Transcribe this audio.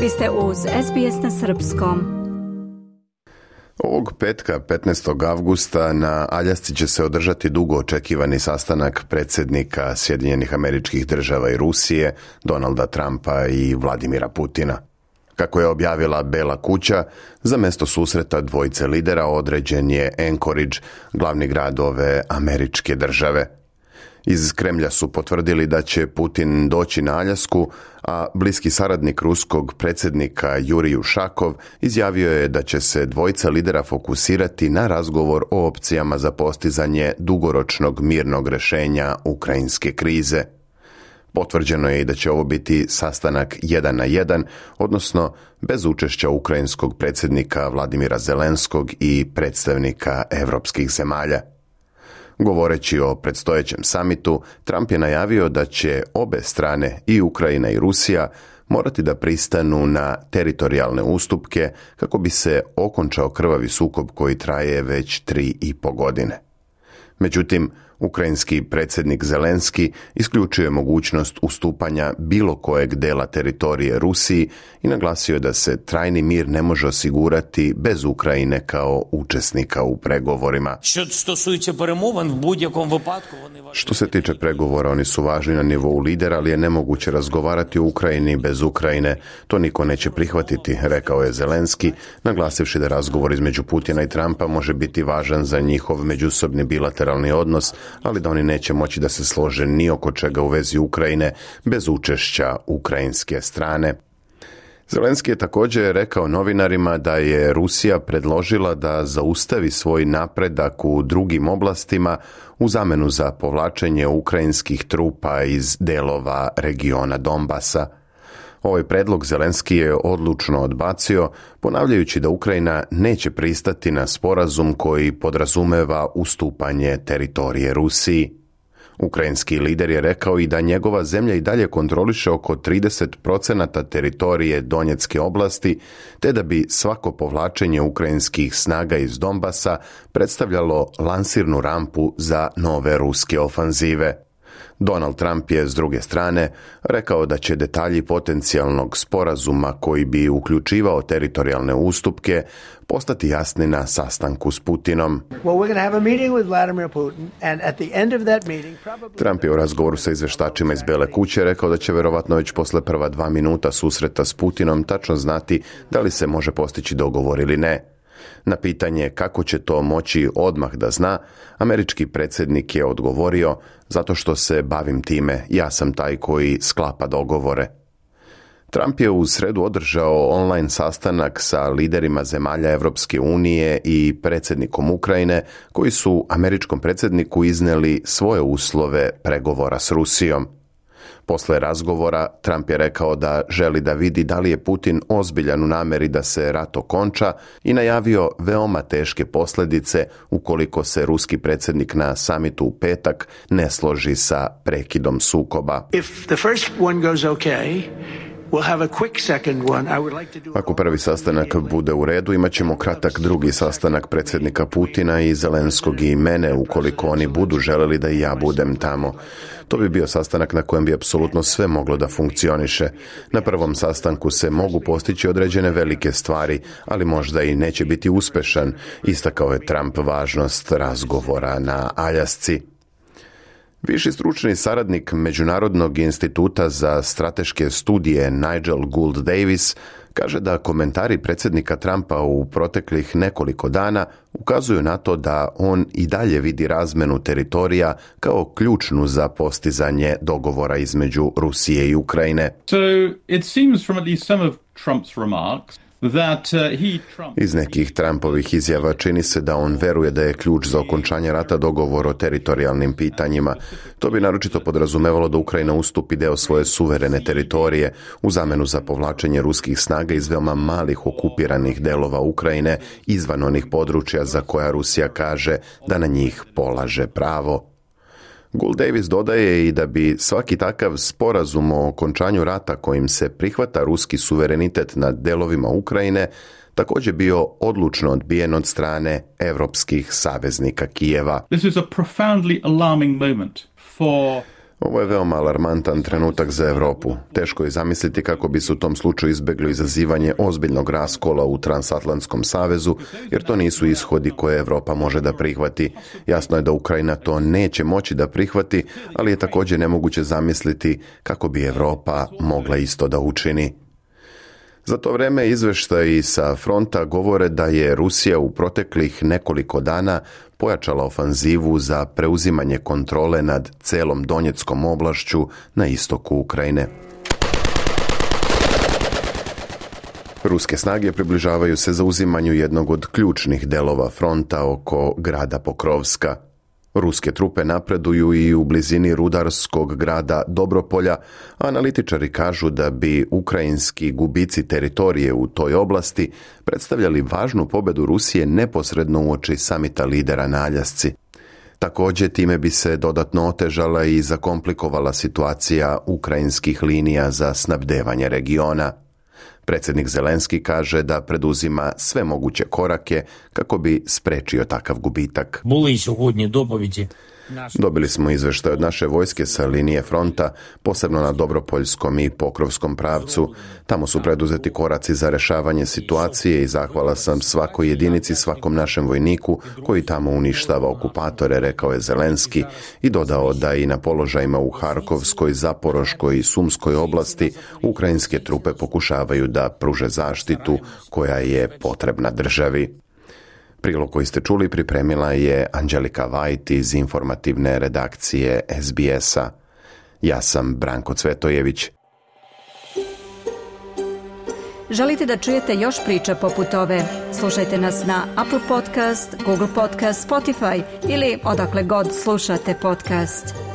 Vi ste uz SBS na srpskom. Ovog petka, 15. avgusta, na Aljasci će se održati dugo očekivani sastanak predsjednika Sjedinjenih Američkih Država i Rusije, Donalda Trumpa i Vladimira Putina. Kako je objavila Bela kuća, za mjesto susreta dvojice lidera određen je Anchorage, glavni grad ove američke države. Iz Kremlja su potvrdili da će Putin doći na Aljasku, a bliski saradnik ruskog predsjednika Jurij Ušakov izjavio je da će se dvojica lidera fokusirati na razgovor o opcijama za postizanje dugoročnog mirnog rješenja ukrajinske krize. Potvrđeno je i da će ovo biti sastanak 1 na 1, odnosno bez učešća ukrajinskog predsjednika Vladimira Zelenskog i predstavnika europskih zemalja. Govoreći o predstojećem samitu, Trump je najavio da će obe strane, i Ukrajina i Rusija, morati da pristanu na teritorijalne ustupke kako bi se okončao krvavi sukob koji traje već 3,5 godine. Međutim, ukrajinski predsjednik Zelenski isključio je mogućnost ustupanja bilo kojeg dela teritorije Rusiji i naglasio da se trajni mir ne može osigurati bez Ukrajine kao učesnika u pregovorima. Što se tiče pregovora, oni su važni na nivou lidera, ali je nemoguće razgovarati o Ukrajini bez Ukrajine. To niko neće prihvatiti, rekao je Zelenski, naglasivši da razgovor između Putina i Trumpa može biti važan za njihov međusobni bilateralni odnos, ali da oni neće moći da se slože ni oko čega u vezi Ukrajine bez učešća ukrajinske strane. Zelenski je također rekao novinarima da je Rusija predložila da zaustavi svoj napredak u drugim oblastima u zamenu za povlačenje ukrajinskih trupa iz delova regiona Donbasa. Ovaj predlog Zelenski je odlučno odbacio, ponavljajući da Ukrajina neće pristati na sporazum koji podrazumeva ustupanje teritorije Rusiji. Ukrajinski lider je rekao i da njegova zemlja i dalje kontroliše oko 30% teritorije Donjecke oblasti, te da bi svako povlačenje ukrajinskih snaga iz Donbasa predstavljalo lansirnu rampu za nove ruske ofanzive. Donald Trump je, s druge strane, rekao da će detalji potencijalnog sporazuma koji bi uključivao teritorijalne ustupke postati jasni na sastanku s Putinom. Trump je u razgovoru sa izvještačima iz Bele kuće rekao da će vjerovatno već posle prva 2 minuta susreta s Putinom tačno znati da li se može postići dogovor ili ne. Na pitanje kako će to moći odmah da zna, američki predsjednik je odgovorio: zato što se bavim time, ja sam taj koji sklapa dogovore. Trump je u sredu održao online sastanak sa liderima zemalja Europske unije i predsjednikom Ukrajine, koji su američkom predsjedniku iznijeli svoje uslove pregovora s Rusijom. Posle razgovora, Trump je rekao da želi da vidi da li je Putin ozbiljan u namjeri da se rat okonča i najavio veoma teške posljedice ukoliko se ruski predsjednik na samitu u petak ne složi sa prekidom sukoba. Ako prvi sastanak bude u redu, imat ćemo kratak drugi sastanak predsjednika Putina i Zelenskog i mene, ukoliko oni budu želeli da i ja budem tamo. To bi bio sastanak na kojem bi apsolutno sve moglo da funkcioniše. Na prvom sastanku se mogu postići određene velike stvari, ali možda i neće biti uspešan, istakao je Trump važnost razgovora na Aljasci. Viši stručni saradnik Međunarodnog instituta za strateške studije Nigel Gould Davis kaže da komentari predsjednika Trumpa u proteklih nekoliko dana ukazuju na to da on i dalje vidi razmenu teritorija kao ključnu za postizanje dogovora između Rusije i Ukrajine. So it seems from at least some of Trump's remarks Iz nekih Trumpovih izjava čini se da on veruje da je ključ za okončanje rata dogovor o teritorijalnim pitanjima. To bi naročito podrazumevalo da Ukrajina ustupi deo svoje suverene teritorije u zamenu za povlačenje ruskih snaga iz veoma malih okupiranih delova Ukrajine izvan onih područja za koja Rusija kaže da na njih polaže pravo. Gould Davis dodaje i da bi svaki takav sporazum o okončanju rata kojim se prihvata ruski suverenitet nad delovima Ukrajine također bio odlučno odbijen od strane evropskih saveznika Kijeva. This is a profoundly alarming moment for Ovo je veoma alarmantan trenutak za Europu. Teško je zamisliti kako bi se u tom slučaju izbjeglo izazivanje ozbiljnog raskola u Transatlantskom savezu, jer to nisu ishodi koje Europa može da prihvati. Jasno je da Ukrajina to neće moći da prihvati, ali je također nemoguće zamisliti kako bi Europa mogla isto da učini. Za to vrijeme izvještaji sa fronta govore da je Rusija u proteklih nekoliko dana pojačala ofanzivu za preuzimanje kontrole nad celom Donjeckom oblašću na istoku Ukrajine. Ruske snage približavaju se zauzimanju jednog od ključnih delova fronta oko grada Pokrovska. Ruske trupe napreduju i u blizini rudarskog grada Dobropolja, a analitičari kažu da bi ukrajinski gubici teritorije u toj oblasti predstavljali važnu pobedu Rusije neposredno uoči samita lidera na Aljasci. Također time bi se dodatno otežala i zakomplikovala situacija ukrajinskih linija za snabdevanje regiona. Predsjednik Zelenski kaže da preduzima sve moguće korake kako bi sprečio takav gubitak. Dobili smo izvještaj od naše vojske sa linije fronta, posebno na Dobropoljskom i Pokrovskom pravcu. Tamo su preduzeti koraci za rješavanje situacije i zahvala sam svakoj jedinici, svakom našem vojniku koji tamo uništava okupatore, rekao je Zelenski i dodao da i na položajima u Harkovskoj, Zaporoškoj i Sumskoj oblasti ukrajinske trupe pokušavaju da pruže zaštitu koja je potrebna državi. Prilog koji ste čuli pripremila je Anđelika Vajt iz informativne redakcije SBS-a. Ja sam Branko Cvetojević. Želite da čujete još priča poput ove? Slušajte nas na Apple Podcast, Google Podcast, Spotify ili odakle god slušate podcast.